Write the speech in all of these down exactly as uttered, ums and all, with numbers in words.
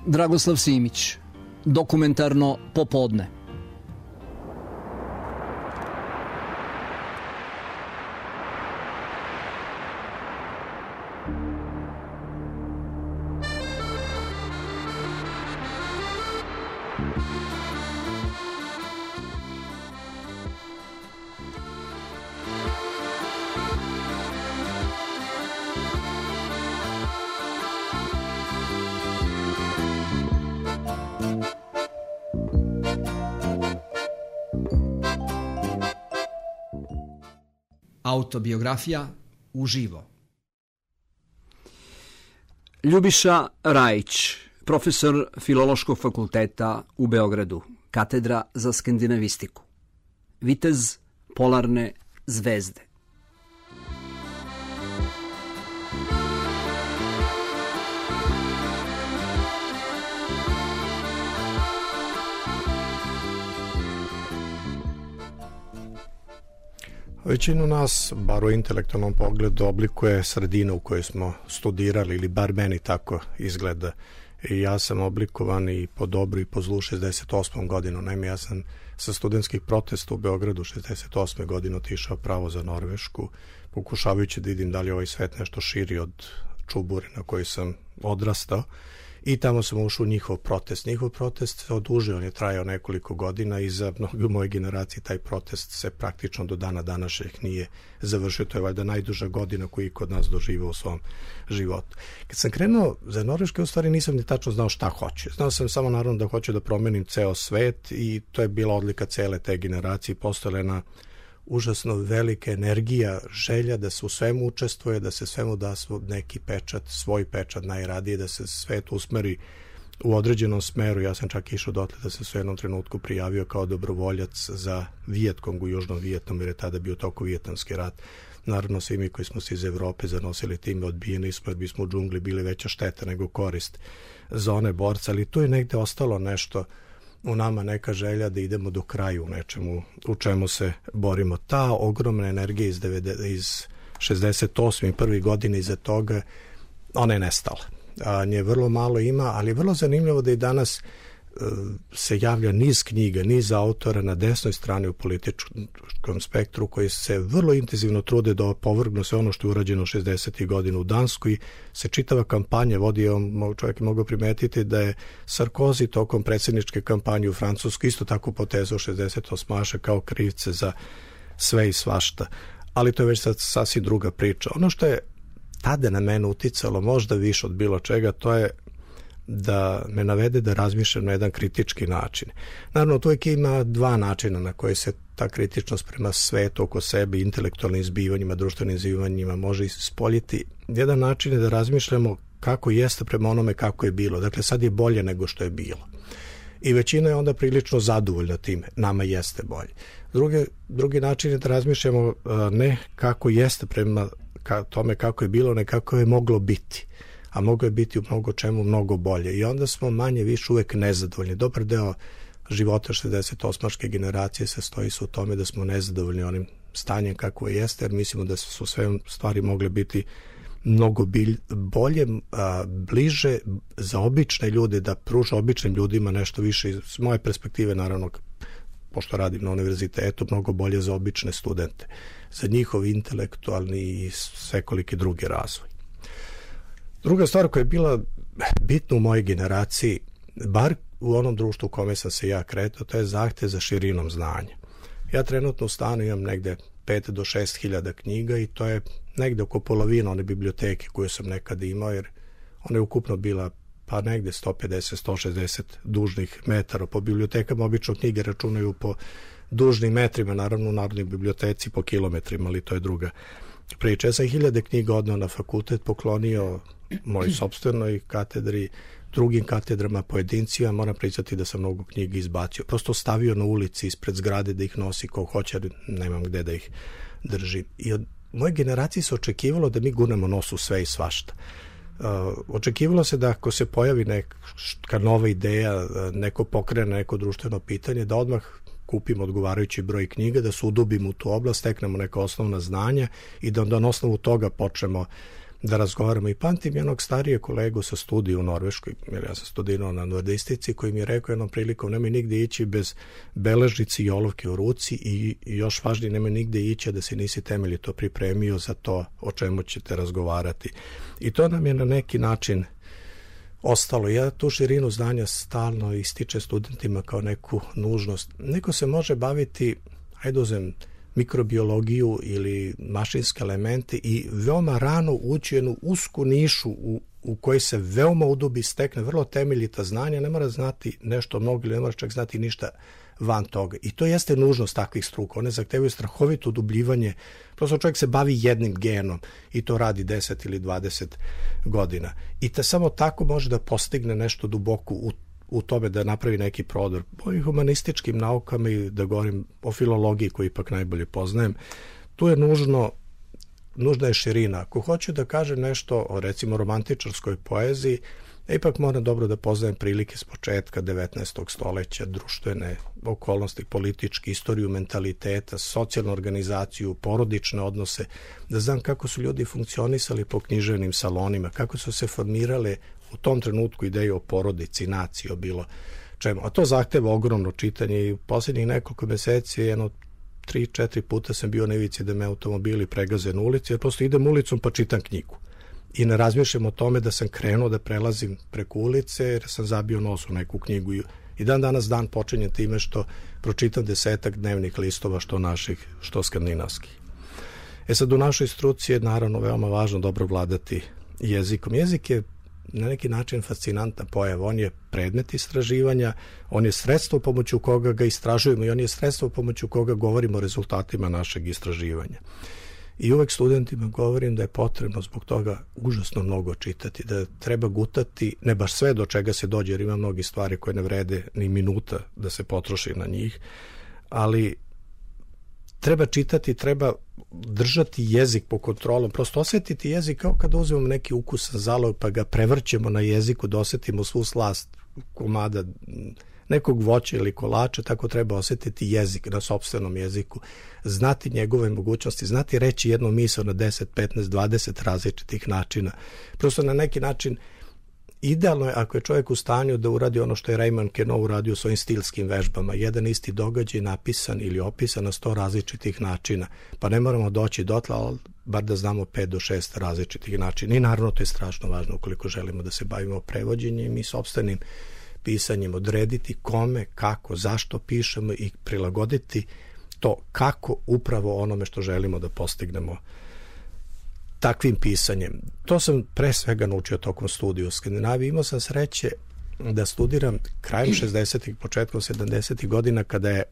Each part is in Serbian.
Dragoslav Simić, Dokumentarno popodne. Autobiografija uživo. Ljubiša Rajić, profesor Filološkog fakulteta u Beogradu, katedra za skandinavistiku. Vitez polarne zvezde. Većinu nas, bar u intelektualnom pogledu, oblikuje sredina u kojoj smo studirali, ili bar meni tako izgleda. I ja sam oblikovan i po dobru i po zlu šezdeset osmom godinu. Naime, ja sam sa studentskih protesta u Beogradu šezdeset osme godine otišao pravo za Norvešku, pokušavajući da vidim da li je ovaj svet nešto širi od čubure na kojoj sam odrastao. I tamo sam ušao u njihov protest. Njihov protest se odužio, on je trajao nekoliko godina i za mnogi u mojoj generaciji taj protest se praktično do dana današnjeg nije završio. To je valjda najduža godina koju je kod nas doživao u svom životu. Kad sam krenuo za Norveške, u stvari nisam ni tačno znao šta hoće. Znao sam samo naravno da hoću da promenim ceo svet i to je bila odlika cele te generacije. Postojala jedna užasno velika energija, želja da se u svemu učestvuje, da se svemu da neki pečat, svoj pečat najradije, da se svet usmeri u određenom smeru. Ja sam čak išao dotle da se u jednom trenutku prijavio kao dobrovoljac za Vijetkong u Južnom Vijetnamu, jer je tada bio toko Vijetnamski rat. Naravno, svi mi koji smo se iz Evrope zanosili time, odbijeni smo, jer bismo u džungli bili veća šteta nego korist za one borce, ali tu je negde ostalo nešto u nama, neka želja da idemo do kraja u nečemu u čemu se borimo. Ta ogromna energija iz, iz šezdeset osme i prvi godine iza toga, ona je nestala. A, nje vrlo malo ima, ali je vrlo zanimljivo da i danas uh, se javlja niz knjiga, niz autora na desnoj strani u političkom spektru koji se vrlo intenzivno trude da opovrgnu sve ono što je urađeno šezdesetih godina u Danskoj. Se čitava kampanja vodi, on, čovjek je mogao primetiti da je Sarkozy tokom predsjedničke kampanje u Francuskoj isto tako potezao šezdeset osmaše kao krivce za sve i svašta. Ali to je već sad sasvim druga priča. Ono što je tada na mene uticalo možda više od bilo čega, to je da me navede da razmišljam na jedan kritički način. Naravno, to uvijek ima dva načina na koje se ta kritičnost prema svetu oko sebe, intelektualnim zbivanjima, društvenim zbivanjima može ispoljiti. Jedan način je da razmišljamo kako jeste prema onome kako je bilo. Dakle, sad je bolje nego što je bilo. I većina je onda prilično zadovoljna time. Nama jeste bolje. Drugi, drugi način je da razmišljamo ne kako jeste prema ka, tome kako je bilo, ne kako je moglo biti. A moglo je biti u mnogo čemu mnogo bolje. I onda smo manje više uvek nezadovoljni. Dobar deo života šezdeset osmaške generacije se stoji su u tome da smo nezadovoljni onim stanjem kako je jeste, jer mislimo da su sve stvari mogle biti mnogo bilj, bolje, a, bliže za obične ljude, da pruža običnim ljudima nešto više. Iz moje perspektive, naravno, pošto radim na univerzitetu, mnogo bolje za obične studente, za njihov intelektualni i svekoliki drugi razvoj. Druga stvar koja je bila bitna u mojoj generaciji, bar u onom društvu u kome sam se ja kretao, to je zahtev za širinom znanja. Ja trenutno u stanu imam negde pet do šest hiljada knjiga i to je negde oko polovina one biblioteke koju sam nekada imao, jer ona je ukupno bila pa negde sto pedeset do sto šezdeset dužnih metara. Po bibliotekama obično knjige računaju po dužnim metrima, naravno u Narodnoj biblioteci po kilometrima, ali to je druga priča. Ja sam hiljade knjiga odneo na fakultet, poklonio mojoj sopstvenoj katedri, drugim katedrama, pojedincima. Moram priznati da sam mnogo knjiga izbacio. Prosto stavio na ulici ispred zgrade da ih nosi ko hoće, nemam gde da ih držim. I od moje generacije se očekivalo da mi gurnemo nos u sve i svašta. Uh, očekivalo se da ako se pojavi neka nova ideja, neko pokrene neko društveno pitanje, da odmah kupimo odgovarajući broj knjiga, da se udubimo u tu oblast, steknemo neka osnovna znanja i da onda na osnovu toga počnemo da razgovaramo. I pamtim jednog starije kolegu sa studija u Norveškoj, jer ja sam studirao na nordistici, koji mi je rekao jednom prilikom, nemoj nigde ići bez beležnici i olovke u ruci i još važnije, nemoj nigde ići da se nisi temeljito pripremio za to o čemu ćete razgovarati. I to nam je na neki način ostalo. Ja tu širinu znanja stalno ističe studentima kao neku nužnost. Neko se može baviti, ajde uzem, mikrobiologiju ili mašinske elemente i veoma rano ući u jednu usku nišu u, u kojoj se veoma udubi, stekne vrlo temeljita znanja, ne mora znati nešto mnogo ili ne mora čak znati ništa van toga. I to jeste nužnost takvih struka. One zahtevaju strahovito udubljivanje. Prosto čovjek se bavi jednim genom i to radi deset ili dvadeset godina. I te samo tako može da postigne nešto duboko u u tome da napravi neki prodor. O humanističkim naukama i da govorim o filologiji koju ipak najbolje poznajem, tu je nužno, nužna je širina. Ako hoću da kažem nešto o recimo romantičarskoj poeziji, ipak moram dobro da poznajem prilike s početka devetnaestog stoleća, društvene okolnosti, politički, istoriju mentaliteta, socijalnu organizaciju, porodične odnose, da znam kako su ljudi funkcionisali po književnim salonima, kako su se formirale u tom trenutku ideje o porodici, naciji, o bilo čemu. A to zahteva ogromno čitanje i posljednjih nekoliko meseci, jedno tri, četiri puta sam bio na ivici da me automobili pregaze na ulici, jer prosto idem ulicom pa čitam knjigu. I ne razmišljam o tome da sam krenuo da prelazim preko ulice jer sam zabio nos u neku knjigu. I dan danas dan počinje time što pročitam desetak dnevnih listova, što naših, što skandinavskih. E sad, u našoj struci je naravno veoma važno dobro vladati jezikom. Jezik je na neki način fascinantna pojava. On je predmet istraživanja, on je sredstvo pomoću koga ga istražujemo i on je sredstvo pomoću koga govorimo o rezultatima našeg istraživanja. I uvek studentima govorim da je potrebno zbog toga užasno mnogo čitati, da treba gutati, ne baš sve do čega se dođe, jer ima mnogi stvari koje ne vrede ni minuta da se potroši na njih, ali treba čitati, treba držati jezik po kontrolom, prosto osjetiti jezik kao kada uzmemo neki ukusan zalog pa ga prevrćemo na jeziku da osjetimo svu slast komada nekog voća ili kolača, tako treba osjetiti jezik na sopstvenom jeziku, znati njegove mogućnosti, znati reći jednu misao na deset, petnaest, dvadeset različitih načina. Prosto na neki način idealno je ako je čovjek u stanju da uradi ono što je Raymond Queneau uradio svojim stilskim vežbama, jedan isti događaj napisan ili opisan na sto različitih načina, pa ne moramo doći dotle, ali bar da znamo pet do šest različitih načina. I naravno to je strašno važno ukoliko želimo da se bavimo prevođenjem i sopstvenim pisanjem, odrediti kome, kako, zašto pišemo i prilagoditi to kako upravo onome što želimo da postignemo takvim pisanjem. To sam pre svega naučio tokom studija u Skandinaviji. Imao sam sreće da studiram krajem šezdesetih, početkom sedamdesetih godina kada je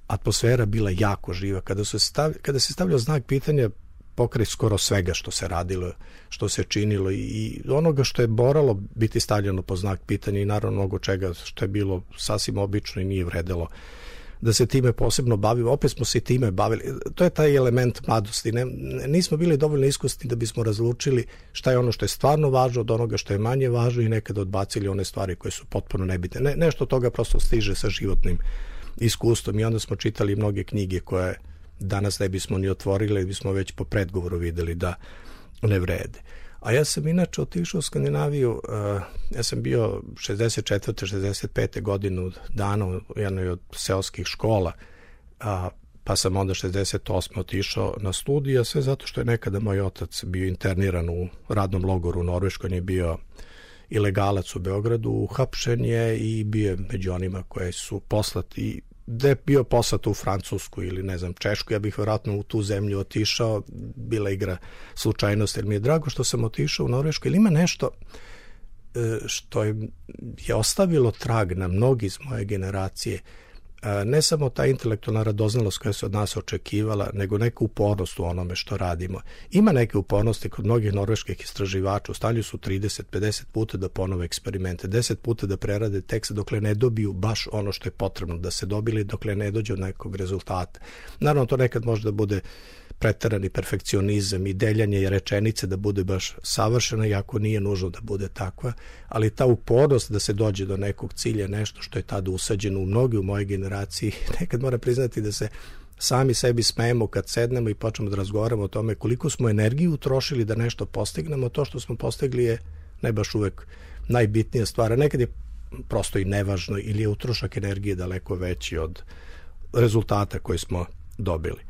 atmosfera bila jako živa, kada, su stav, kada se stavljao znak pitanja pokraj skoro svega što se radilo, što se činilo i onoga što je moralo biti stavljeno po znak pitanja i naravno mnogo čega što je bilo sasvim obično i nije vredelo da se time posebno bavimo. Opet smo se time bavili. To je taj element mladosti. Ne, nismo bili dovoljno iskusni da bismo razlučili šta je ono što je stvarno važno od onoga što je manje važno i nekada odbacili one stvari koje su potpuno nebitne. Ne, nešto od toga prosto stiže sa životnim iskustvom i onda smo čitali mnoge knjige koje danas ne bismo ni otvorili, bismo već po predgovoru videli da ne vrede. A ja sam inače otišao u Skandinaviju, uh, ja sam bio šezdeset četvrte šezdeset pete godinu dana u jednoj od seoskih škola, a, pa sam onda šezdeset osme otišao na studija, sve zato što je nekada moj otac bio interniran u radnom logoru u Norveškoj, on je bio ilegalac u Beogradu, uhapšen je i bio je među onima koje su poslati, da je bio poslat u Francusku ili ne znam Češku, ja bih vjerojatno u tu zemlju otišao, bila igra slučajnost, jer mi je drago što sam otišao u Norvešku, ili ima nešto što je, je ostavilo trag na mnogi iz moje generacije, ne samo ta intelektualna radoznalost koja se od nas očekivala, nego neku upornost u onome što radimo. Ima neke upornosti kod mnogih norveških istraživača, u stanju su trideset pedeset puta da ponove eksperimente, deset puta da prerade tekst dokle ne dobiju baš ono što je potrebno da se dobili, dokle ne dođe od nekog rezultata. Naravno, to nekad može da bude preterani perfekcionizam i deljanje rečenice da bude baš savršena, iako nije nužno da bude takva, ali ta upornost da se dođe do nekog cilja, nešto što je tada usađeno u mnogi u mojoj generaciji, nekad moram priznati da se sami sebi smejemo kad sednemo i počnemo da razgovaramo o tome koliko smo energiju utrošili da nešto postignemo. To što smo postigli je ne baš uvek najbitnija stvar, a nekad je prosto i nevažno ili je utrošak energije daleko veći od rezultata koji smo dobili.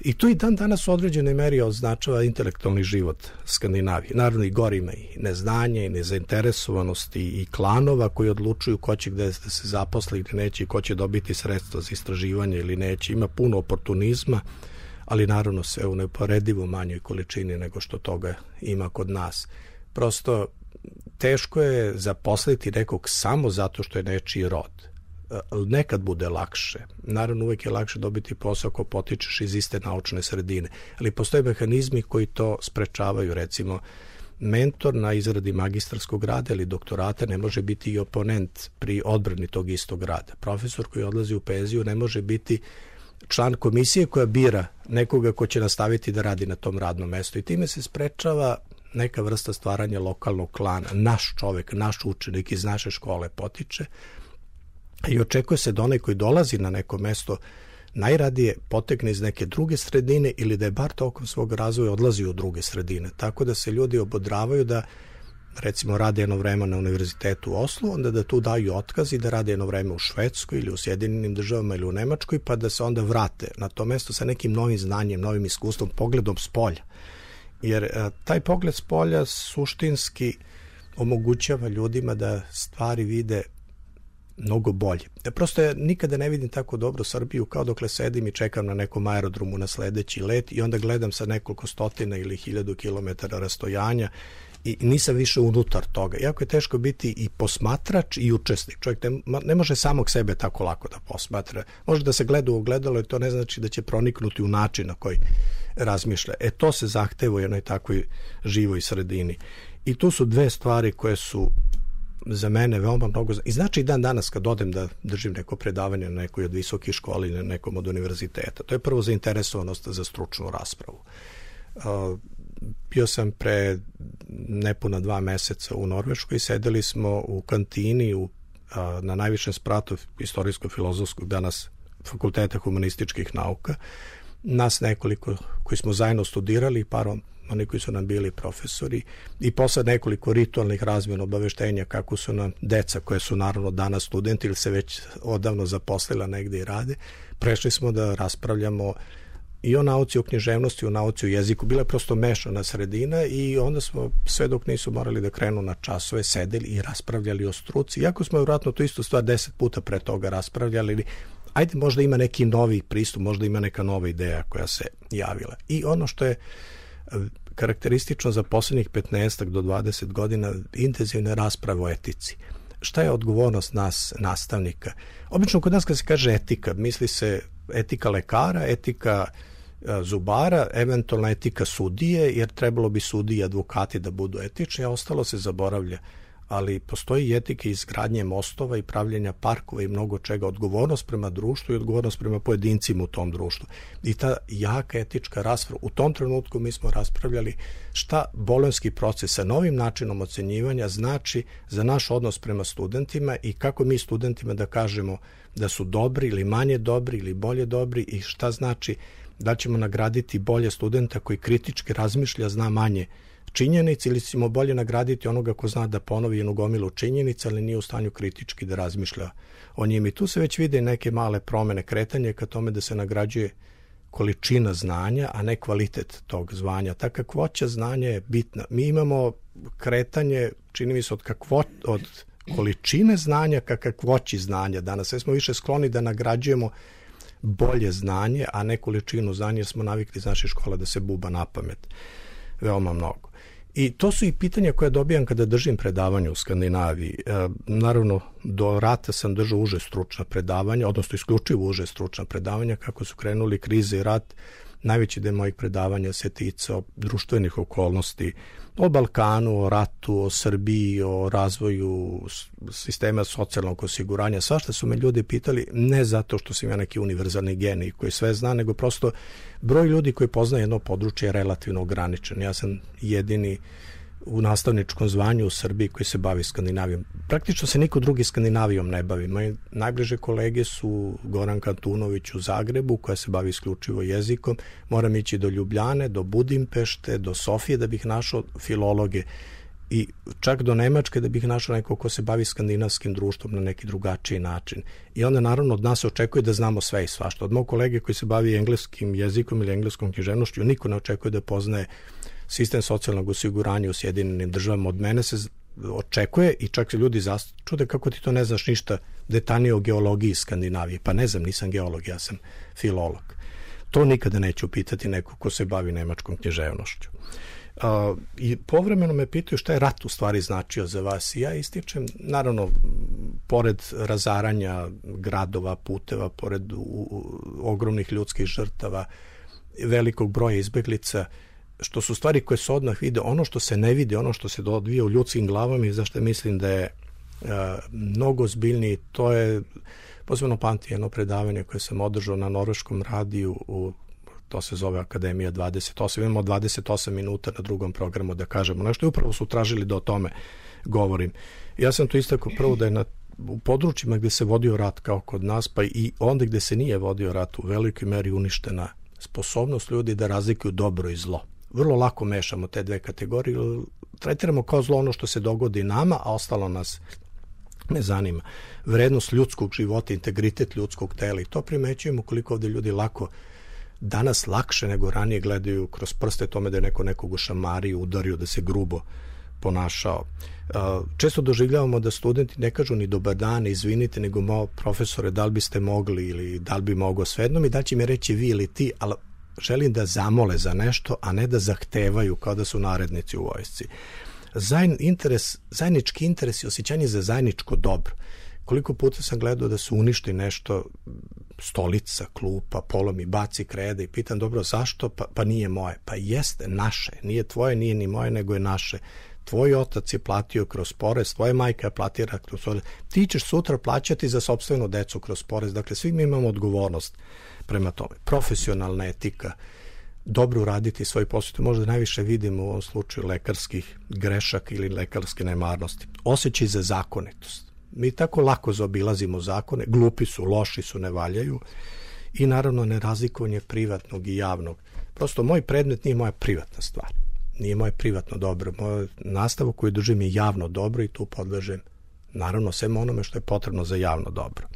I tu i dan danas u određenoj meri označava intelektualni život Skandinavije. Naravno i gori ima i neznanje i nezainteresovanost i klanova koji odlučuju ko će gde da se zaposli ili neće i ko će dobiti sredstva za istraživanje ili neće. Ima puno oportunizma, ali naravno sve u neuporedivo manjoj količini nego što toga ima kod nas. Prosto teško je zaposliti nekog samo zato što je nečiji rod. Nekad bude lakše. Naravno, uvek je lakše dobiti posao ako potičeš iz iste naučne sredine, ali postoje mehanizmi koji to sprečavaju. Recimo, mentor na izradi magistarskog rada ili doktorata ne može biti i oponent pri odbrani tog istog rada. Profesor koji odlazi u penziju ne može biti član komisije koja bira nekoga ko će nastaviti da radi na tom radnom mestu i time se sprečava neka vrsta stvaranja lokalnog klana. Naš čovek, naš učenik iz naše škole potiče i očekuje se da onaj koji dolazi na neko mesto najradije potekne iz neke druge sredine ili da je bar tokom svog razvoja odlazi u druge sredine. Tako da se ljudi obodravaju da recimo rade jedno vreme na univerzitetu u Oslu, onda da tu daju otkaz i da rade jedno vreme u Švedskoj ili u Sjedinjenim državama ili u Nemačkoj, pa da se onda vrate na to mesto sa nekim novim znanjem, novim iskustvom, pogledom s polja. Jer a, taj pogled s polja suštinski omogućava ljudima da stvari vide mnogo bolje. Ja prosto ja nikada ne vidim tako dobro Srbiju kao dokle sedim i čekam na nekom aerodromu na sledeći let i onda gledam sa nekoliko stotina ili hiljadu kilometara rastojanja i nisam više unutar toga. Jako je teško biti i posmatrač i učesnik. Čovjek ne, ne može samog sebe tako lako da posmatra. Može da se gleda u ogledalo i to ne znači da će proniknuti u način na koji razmišlja. E to se zahteva u jednoj takvoj živoj sredini. I tu su dve stvari koje su za mene veoma mnogo. I znači i dan danas kad odem da držim neko predavanje na nekoj od visokih škola ili na nekom od univerziteta. To je prvo zainteresovanost za stručnu raspravu. Uh, bio sam pre nepuna dva meseca u Norveškoj i sedeli smo u kantini u, uh, na najvišem spratu istorijsko-filozofskog danas Fakulteta humanističkih nauka. Nas nekoliko koji smo zajedno studirali, parom oni koji su nam bili profesori i posle nekoliko ritualnih razmjena obaveštenja kako su nam deca koje su naravno danas studenti ili se već odavno zaposlila negde i rade, prešli smo da raspravljamo i o nauci, o književnosti, o nauci, o jeziku. Bila je prosto mešana sredina i onda smo sve dok nisu morali da krenu na časove sedeli i raspravljali o struci. Iako smo vjerojatno to isto stvar deset puta pre toga raspravljali, ajde možda ima neki novi pristup, možda ima neka nova ideja koja se javila. I ono što je karakteristično za poslednjih petnaest do dvadeset godina intenzivne rasprave o etici. Šta je odgovornost nas, nastavnika? Obično kod nas kad se kaže etika, misli se etika lekara, etika zubara, eventualna etika sudije, jer trebalo bi sudije i advokati da budu etični, a ostalo se zaboravlja. Ali postoji i etika izgradnje mostova i pravljenja parkova i mnogo čega, odgovornost prema društvu i odgovornost prema pojedincima u tom društvu. I ta jaka etička rasprava, u tom trenutku mi smo raspravljali šta bolonjski proces sa novim načinom ocenjivanja znači za naš odnos prema studentima i kako mi studentima da kažemo da su dobri ili manje dobri ili bolje dobri i šta znači da ćemo nagraditi bolje studenta koji kritički razmišlja, zna manje činjenici ili ćemo bolje nagraditi onoga ko zna da ponovi jednu gomilu činjenica, ali nije u stanju kritički da razmišlja o njim. I tu se već vide neke male promene, kretanje ka tome da se nagrađuje količina znanja, a ne kvalitet tog zvanja. Ta kakvoća znanja je bitna. Mi imamo kretanje, čini mi se, od, kakvo, od količine znanja ka kakvoći znanja danas. Sve smo više skloni da nagrađujemo bolje znanje, a ne količinu znanja, jer smo navikli iz naše škola da se buba na pamet veoma mnogo. I to su i pitanja koje dobijam kada držim predavanje u Skandinaviji. E, naravno, do rata sam držao uže stručna predavanja, odnosno isključivo uže stručna predavanja. Kako su krenuli krize i rat, najveći deo mojih predavanja se ticao društvenih okolnosti, o Balkanu, o ratu, o Srbiji, o razvoju sistema socijalnog osiguranja. Svašta su me ljudi pitali, ne zato što sam ja neki univerzalni genij koji sve zna, nego prosto broj ljudi koji poznaje jedno područje je relativno ograničen. Ja sam jedini u nastavničkom zvanju u Srbiji koji se bavi Skandinavijom. Praktično se niko drugi Skandinavijom ne bavi. Moje najbliže kolege su Goran Kantunović u Zagrebu, koja se bavi isključivo jezikom. Moram ići do Ljubljane, do Budimpešte, do Sofije da bih našao filologe i čak do Nemačke da bih našao neko ko se bavi skandinavskim društvom na neki drugačiji način. I onda naravno od nas se očekuje da znamo sve i svašta. Od mog kolege koji se bavi engleskim jezikom ili engleskom književnošću, niko ne očekuje da poznaje sistem socijalnog osiguranja u Sjedinjenim državama. Od mene se očekuje i čak se ljudi čude kako ti to ne znaš ništa detaljnije o geologiji Skandinavije. Pa ne znam, nisam geolog, ja sam filolog. To nikada neću pitati neko ko se bavi nemačkom književnošću. Uh, i povremeno me pitaju šta je rat u stvari značio za vas i ja ističem, naravno pored razaranja gradova, puteva, pored u, u, ogromnih ljudskih žrtava, velikog broja izbeglica, što su stvari koje se odmah vide, ono što se ne vidi, ono što se odvija u ljudskim glavama i zašto mislim da je uh, mnogo zbiljniji, to je posebno pamti jedno predavanje koje sam održao na norveškom radiju, u to se zove Akademija dvadeset osam, imamo dvadeset osam minuta na drugom programu da kažemo nešto i upravo su tražili da o tome govorim. Ja sam to istakao prvo da je na, u područjima gdje se vodio rat kao kod nas, pa i onda gdje se nije vodio rat, u velikoj meri uništena sposobnost ljudi da razlikuju dobro i zlo. Vrlo lako mešamo te dve kategorije, tretiramo kao zlo ono što se dogodi nama, a ostalo nas ne zanima. Vrednost ljudskog života, integritet ljudskog tela i to primećujemo koliko ovdje ljudi lako danas lakše nego ranije gledaju kroz prste tome da je neko nekog ušamario, udario, da se grubo ponašao. Često doživljavamo da studenti ne kažu ni dobar dan, izvinite, nego malo profesore, da li biste mogli ili da li bi mogao, svejedno mi da će mi reći vi ili ti, ali želim da zamole za nešto, a ne da zahtevaju kao da su narednici u vojsci. Zajedn, interes, zajednički interes i osjećanje za zajedničko dobro. Koliko puta sam gledao da su uništi nešto, stolica, klupa, polomi, baci krede i pitam, dobro, zašto? Pa, pa nije moje. Pa jeste, naše. Nije tvoje, nije ni moje, nego je naše. Tvoj otac je platio kroz porez, tvoja majka je platila kroz porez. Ti ćeš sutra plaćati za sopstvenu decu kroz porez. Dakle, svi mi imamo odgovornost prema tome. Profesionalna etika, dobro uraditi svoj posao. Možda najviše vidimo u ovom slučaju lekarskih grešaka ili lekarske nemarnosti. Osjećaj za zakonitost. Mi tako lako zaobilazimo zakone, glupi su, loši su, ne valjaju i naravno nerazlikovanje privatnog i javnog. Prosto moj predmet nije moja privatna stvar, nije moje privatno dobro. Moja nastava koju držim je javno dobro i tu podležem naravno svem onome što je potrebno za javno dobro.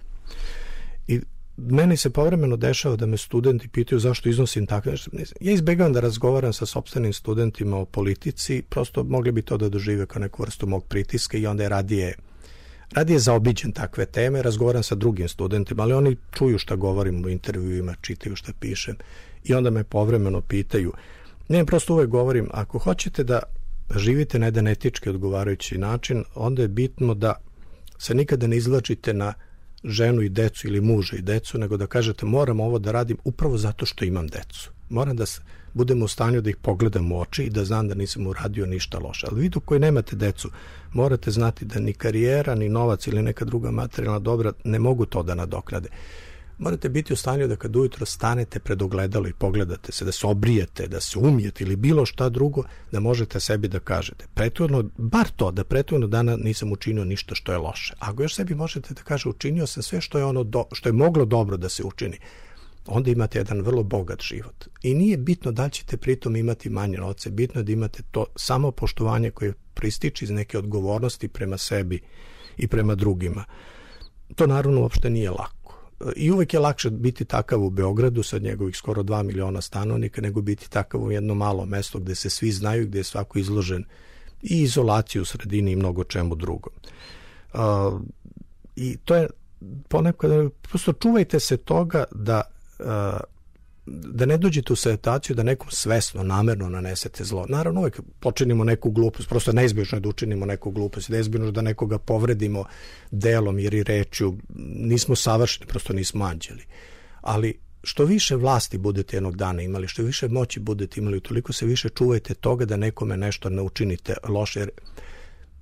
I meni se povremeno dešava da me studenti pitaju zašto iznosim takve nešto. Ja izbegavam da razgovaram sa sopstvenim studentima o politici, prosto mogli bi to da dožive kao neku vrstu mog pritiska i onda je radije Radije zaobiđen takve teme, razgovaram sa drugim studentima, ali oni čuju šta govorim u intervjuima, čitaju šta pišem i onda me povremeno pitaju. Ne, prosto uvek govorim, ako hoćete da živite na jedan etički odgovarajući način, onda je bitno da se nikada ne izvlačite na ženu i decu ili muža i decu, nego da kažete moram ovo da radim upravo zato što imam decu. Moram da budem u stanju da ih pogledam u oči i da znam da nisam uradio ništa loše. Ali vi dok koji nemate decu, morate znati da ni karijera, ni novac ili neka druga materijalna dobra ne mogu to da nadoknade. Morate biti u stanju da kad ujutro stanete pred ogledalo i pogledate se, da se obrijete, da se umijete ili bilo šta drugo, da možete sebi da kažete. Prethodno, bar to, da prethodno dana nisam učinio ništa što je loše. Ako još sebi možete da kaže učinio sam sve što je, ono do, što je moglo dobro da se učini, onda imate jedan vrlo bogat život. I nije bitno da li ćete pritom imati manje novca, bitno je da imate to samopoštovanje koje prističe iz neke odgovornosti prema sebi i prema drugima. To naravno uopšte nije lako. I uvek je lakše biti takav u Beogradu sa njegovih skoro dva miliona stanovnika nego biti takav u jedno malo mesto gde se svi znaju, gde je svako izložen i izolaciju u sredini i mnogo čemu drugom. Uh, I to je ponekad, prosto čuvajte se toga da da ne dođete u situaciju da nekom svesno, namerno nanesete zlo. Naravno, uvijek počinimo neku glupost, prosto neizbježno je da učinimo neku glupost, neizbježno da nekoga povredimo delom jer i rečju. Nismo savršeni, prosto nismo anđeli. Ali što više vlasti budete jednog dana imali, što više moći budete imali, toliko se više čuvajte toga da nekome nešto ne učinite loše. Jer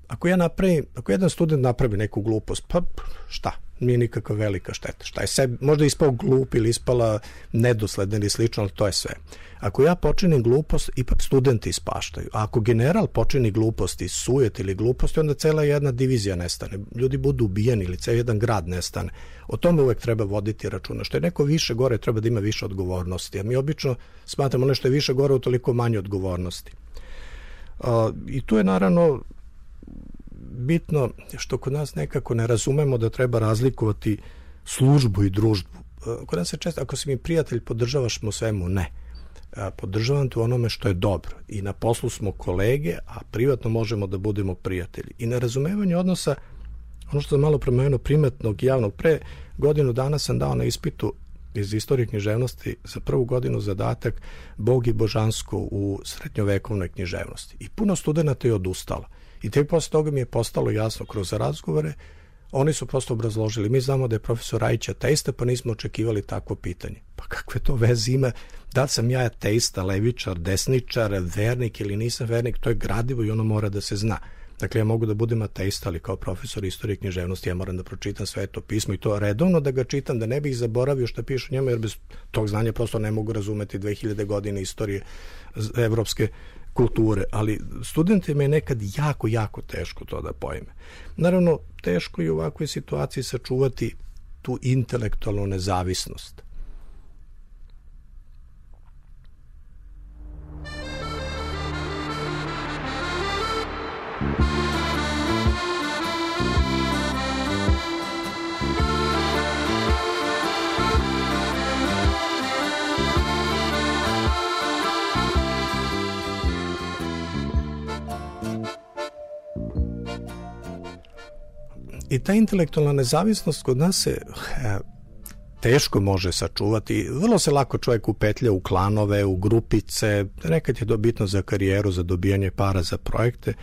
ako ja napravim, ako jedan student napravi neku glupost, pa šta? Nije nikakva velika šteta. Šta je sebi, možda ispao glup ili ispala nedosledna ili slično, ali to je sve. Ako ja počinim glupost, ipak studenti ispaštaju. A ako general počini gluposti, sujet ili gluposti, onda cela jedna divizija nestane. Ljudi budu ubijeni ili ceo jedan grad nestane. O tome uvek treba voditi računa. Što je neko više gore, treba da ima više odgovornosti. A mi obično smatramo ono što je više gore, utoliko manje odgovornosti. Uh, I tu je naravno bitno što kod nas nekako ne razumemo da treba razlikovati službu i družbu. Kod nas se često, ako si mi prijatelj, podržavaš me u svemu, ne. Podržavam te u onome što je dobro. I na poslu smo kolege, a privatno možemo da budemo prijatelji. I na razumevanje odnosa, ono što sam malo premenuo, primetnog i javnog, pre godinu dana sam dao na ispitu iz istorije književnosti za prvu godinu zadatak Bog i božansko u srednjovekovnoj književnosti. I puno studenata je odustalo. I tek posle toga mi je postalo jasno kroz razgovore, oni su prosto obrazložili, mi znamo da je profesor Rajić ateista, pa nismo očekivali takvo pitanje. Pa kakve to veze ima, da li sam ja ateista, levičar, desničar, vernik ili nisam vernik, to je gradivo i ono mora da se zna. Dakle, ja mogu da budem ateista, ali kao profesor istorije književnosti ja moram da pročitam Sveto pismo i to redovno da ga čitam, da ne bih zaboravio što piše u njemu, jer bez tog znanja prosto ne mogu razumeti dve hiljade godine istorije evropske kulture, ali studentima je nekad jako, jako teško to da pojme. Naravno, teško je u ovakvoj situaciji sačuvati tu intelektualnu nezavisnost. I ta intelektualna nezavisnost kod nas se e, teško može sačuvati. Vrlo se lako čovjek upetlja u klanove, u grupice, nekad je to bitno za karijeru, za dobijanje para za projekte,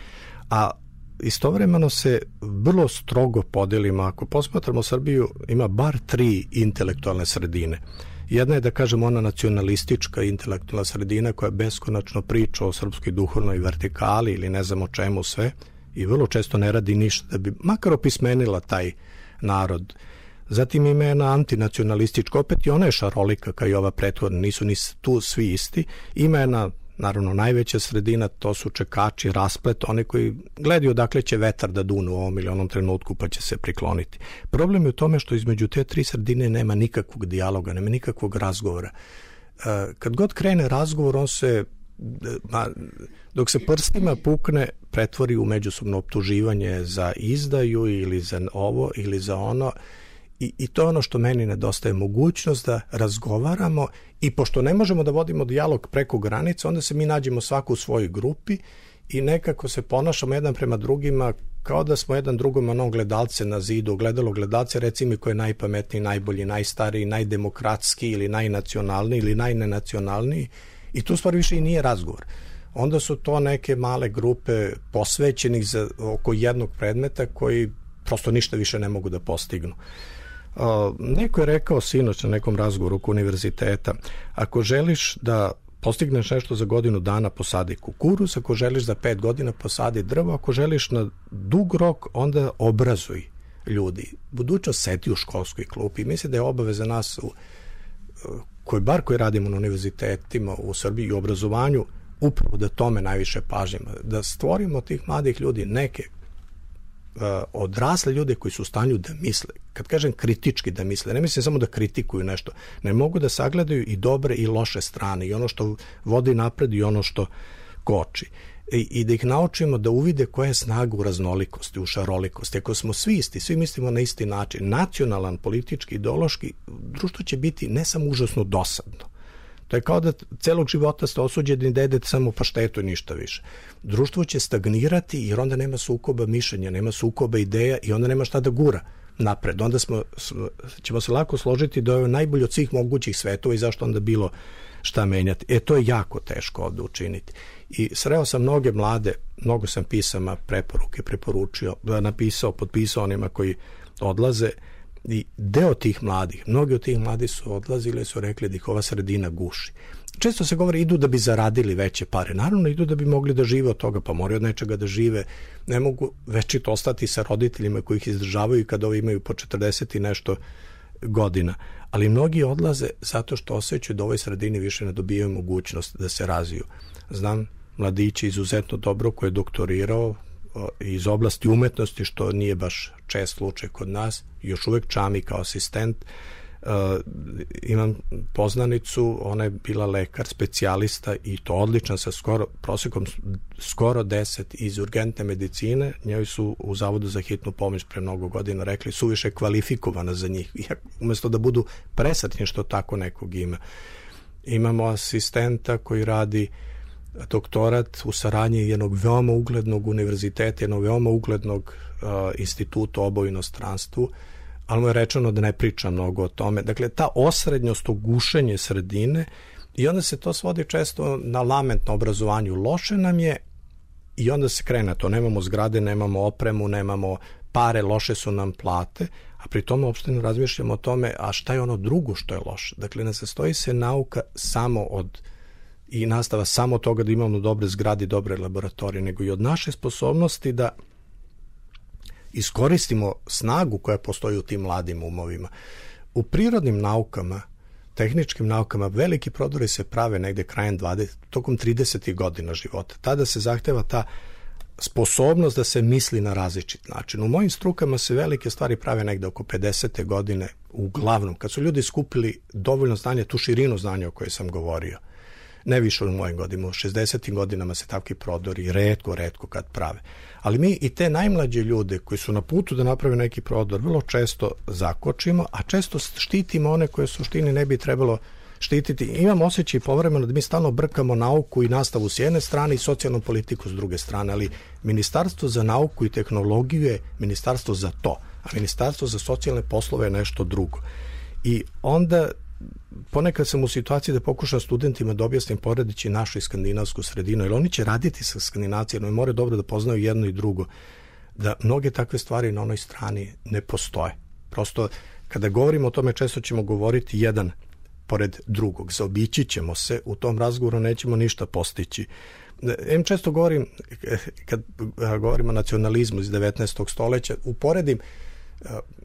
a istovremeno se vrlo strogo podelimo. Ako posmatramo Srbiju, ima bar tri intelektualne sredine. Jedna je, da kažem, ona nacionalistička intelektualna sredina koja beskonačno priča o srpskoj duhovnoj vertikali ili ne znam o čemu sve, i vrlo često ne radi ništa da bi makar opismenila taj narod. Zatim ima jedna antinacionalistička, opet i ona je šarolika kao i ova prethodna, nisu ni tu svi isti. Ima jedna, naravno, najveća sredina, to su čekači, rasplet, oni koji gledaju odakle će vetar da dune u ovom ili onom trenutku pa će se prikloniti. Problem je u tome što između te tri sredine nema nikakvog dijaloga, nema nikakvog razgovora. Kad god krene razgovor, on se Ma, dok se prstima pukne, pretvori u međusobno optuživanje za izdaju ili za ovo ili za ono i, i to je ono što meni nedostaje, mogućnost da razgovaramo i pošto ne možemo da vodimo dijalog preko granice, onda se mi nađemo svako u svojoj grupi i nekako se ponašamo jedan prema drugima kao da smo jedan drugom ono gledalce na zidu, gledalo gledalce, reci mi ko je najpametniji, najbolji, najstariji, najdemokratski ili najnacionalniji ili najnenacionalniji. I tu stvar više i nije razgovor. Onda su to neke male grupe posvećenih za oko jednog predmeta koji prosto ništa više ne mogu da postignu. Uh, neko je rekao sinoć na nekom razgovoru oko univerziteta, ako želiš da postigneš nešto za godinu dana, posadi kukuruz, ako želiš za pet godina, posadi drvo, ako želiš na dug rok, onda obrazuj ljudi. Budućnost sedi u školskoj klupi. Mislim da je obaveza nas u koji bar koji radimo na univerzitetima u Srbiji i obrazovanju, upravo da tome najviše pažimo, da stvorimo tih mladih ljudi, neke uh, odrasle ljude koji su u stanju da misle. Kad kažem kritički da misle, ne mislim samo da kritikuju nešto, ne mogu da sagledaju i dobre i loše strane, i ono što vodi napred i ono što koči. I, i da ih naučimo da uvide koja je snaga u raznolikosti, u šarolikosti. Ako smo svi isti, svi mislimo na isti način, nacionalan, politički, ideološki, društvo će biti ne samo užasno dosadno. To je kao da celog života ste osuđeni da jedete samo paštetu i ništa više. Društvo će stagnirati jer onda nema sukoba mišljenja, nema sukoba ideja i onda nema šta da gura napred. Onda smo, ćemo se lako složiti da je najbolje od svih mogućih svetova i zašto onda bilo šta menjati. E, to je jako teško ovde učiniti. I sreo sam mnoge mlade, mnogo sam pisama, preporuke preporučio, napisao, potpisao onima koji odlaze i deo tih mladih, mnogi od tih mladih su odlazili i su rekli da ih ova sredina guši. često se govori idu da bi zaradili veće pare. Naravno idu da bi mogli da žive od toga, pa moraju od nečega da žive. Ne mogu večito ostati sa roditeljima koji ih izdržavaju kad ovi imaju po četrdeset i nešto godina. Ali mnogi odlaze zato što osjećaju da u ovoj sredini više ne dobijaju mogućnost da se razviju. Znam mladići izuzetno dobro koji je doktorirao iz oblasti umetnosti, što nije baš čest slučaj kod nas, još uvek čami kao asistent. Uh, imam poznanicu, ona je bila lekar, specijalista i to odličan sa skoro, prosekom skoro deset iz urgentne medicine. Njoj su u Zavodu za hitnu pomoć pre mnogo godina rekli suviše kvalifikovana za njih, umesto da budu presretni što tako nekog ima. Imamo asistenta koji radi doktorat u saradnji jednog veoma uglednog univerziteta, jednog veoma uglednog uh, instituta oba u inostranstvu, ali mu je rečeno da ne priča mnogo o tome. Dakle, ta osrednjost, gušenje sredine, i onda se to svodi često na lament na obrazovanju. Loše nam je i onda se krene to. Nemamo zgrade, nemamo opremu, nemamo pare, loše su nam plate, a pri tome uopšte ne razmišljamo o tome, a šta je ono drugo što je loše. Dakle, ne sastoji se nauka samo od i nastava samo od toga da imamo dobre zgrade i dobre laboratorije, nego i od naše sposobnosti da iskoristimo snagu koja postoji u tim mladim umovima. U prirodnim naukama, tehničkim naukama, veliki prodori se prave negde krajem dvadesetih, tokom tridesetih godina života. Tada se zahteva ta sposobnost da se misli na različit način. U mojim strukama se velike stvari prave negde oko pedesete godine, uglavnom, kad su ljudi skupili dovoljno znanja, tu širinu znanja o kojoj sam govorio. Ne više u mojim godinama, u šezdesetim godinama se takvi prodori retko, retko kad prave. Ali mi i te najmlađe ljude koji su na putu da naprave neki prodor vrlo često zakočimo, a često štitimo one koje u suštini ne bi trebalo štititi. Imam osjećaj povremeno da mi stalno brkamo nauku i nastavu s jedne strane i socijalnu politiku s druge strane, ali Ministarstvo za nauku i tehnologiju je ministarstvo za to, a Ministarstvo za socijalne poslove je nešto drugo. I onda ponekad sam u situaciji da pokušam studentima da objasnim poredeći našu i skandinavsku sredinu, jer oni će raditi sa Skandinavcijama i moraju dobro da poznaju jedno i drugo, da mnoge takve stvari na onoj strani ne postoje. Prosto, kada govorimo o tome, često ćemo govoriti jedan pored drugog. Zaobići ćemo se, u tom razgovoru nećemo ništa postići. Em često govorim, kad govorimo o nacionalizmu iz devetnaestog stoleća, uporedim,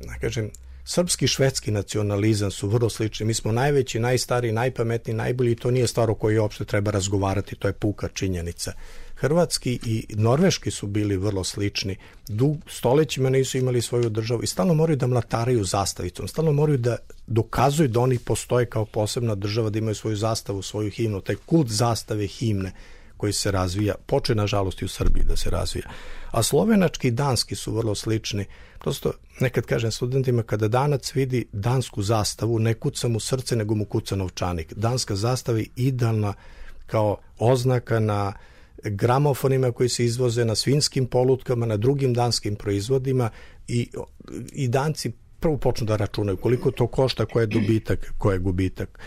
da kažem, srpski i švedski nacionalizam su vrlo slični. Mi smo najveći, najstariji, najpametniji, najbolji i to nije stvar o kojoj uopšte treba razgovarati, to je puka činjenica. Hrvatski i norveški su bili vrlo slični. Dug, stolećima nisu imali svoju državu i stalno moraju da mlataraju zastavicom, stalno moraju da dokazuju da oni postoje kao posebna država, da imaju svoju zastavu, svoju himnu, taj kult zastave himne koji se razvija, poče nažalost i u Srbiji da se razvija. A slovenački i danski su vrlo slični. Prosto nekad kažem studentima, kada Danac vidi dansku zastavu, ne kuca mu srce, nego mu kuca novčanik. Danska zastava je idealna kao oznaka na gramofonima koji se izvoze, na svinjskim polutkama, na drugim danskim proizvodima i, i Danci prvo počnu da računaju koliko to košta, ko je dobitak, ko je gubitak.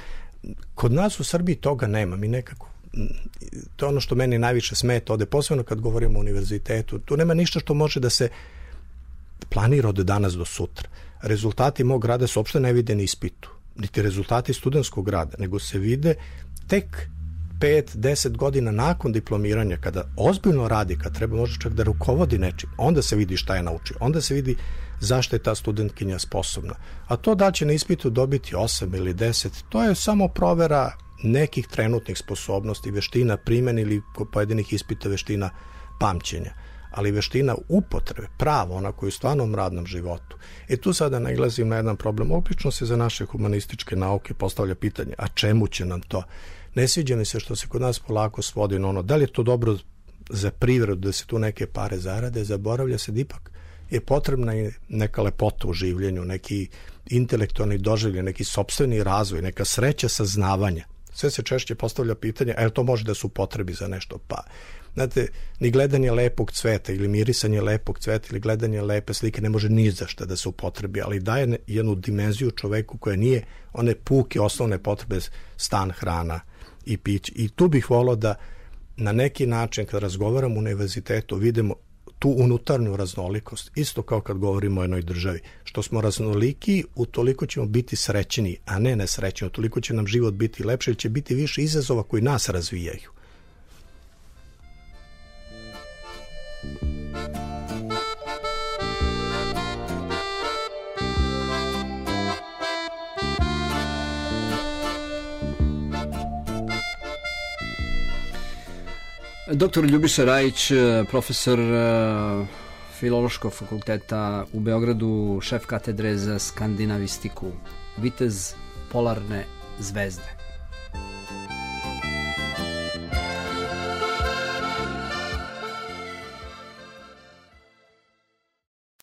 Kod nas u Srbiji toga nema. Mi nekako, to je ono što meni najviše smeta ovde, posebno kad govorimo o univerzitetu. Tu nema ništa što može da se planira od danas do sutra. Rezultati mog rada se uopšte ne vide na ispitu, niti rezultati studentskog rada, nego se vide tek pet, deset godina nakon diplomiranja, kada ozbiljno radi, kad treba možda čak da rukovodi nečim, onda se vidi šta je naučio, onda se vidi zašto je ta studentkinja sposobna. A to da će na ispitu dobiti osam ili deset, to je samo provera nekih trenutnih sposobnosti, veština primjene ili kod pojedinih ispita veština pamćenja, ali veština upotrebe, pravo, ona koju u stvarnom radnom životu. I tu sada nailazim na jedan problem. Obično se za naše humanističke nauke postavlja pitanje, a čemu će nam to? Ne sviđa mi se što se kod nas polako svodi na ono, da li je to dobro za privredu, da se tu neke pare zarade, zaboravlja se da ipak je potrebna i neka lepota u življenju, neki intelektualni doživljaj, neki sopstveni razvoj, neka sreća saznavanja. Sve se češće postavlja pitanje, a je to može da se upotrebi za nešto? Pa, znate, ni gledanje lepog cveta ili mirisanje lepog cveta ili gledanje lepe slike ne može ni za šta da se upotrebi, ali daje jednu dimenziju čoveku koja nije one puke osnovne potrebe, stan, hrana i pić. I tu bih volao da na neki način, kad razgovaram u univerzitetu, vidimo tu unutarnju raznolikost, isto kao kad govorimo o jednoj državi. Što smo raznoliki, utoliko ćemo biti srećni, a ne nesrećni, utoliko će nam život biti lepši, ili će biti više izazova koji nas razvijaju. Doktor Ljubiša Rajić, profesor Filološkog fakulteta u Beogradu, šef katedre za skandinavistiku, vitez polarne zvezde.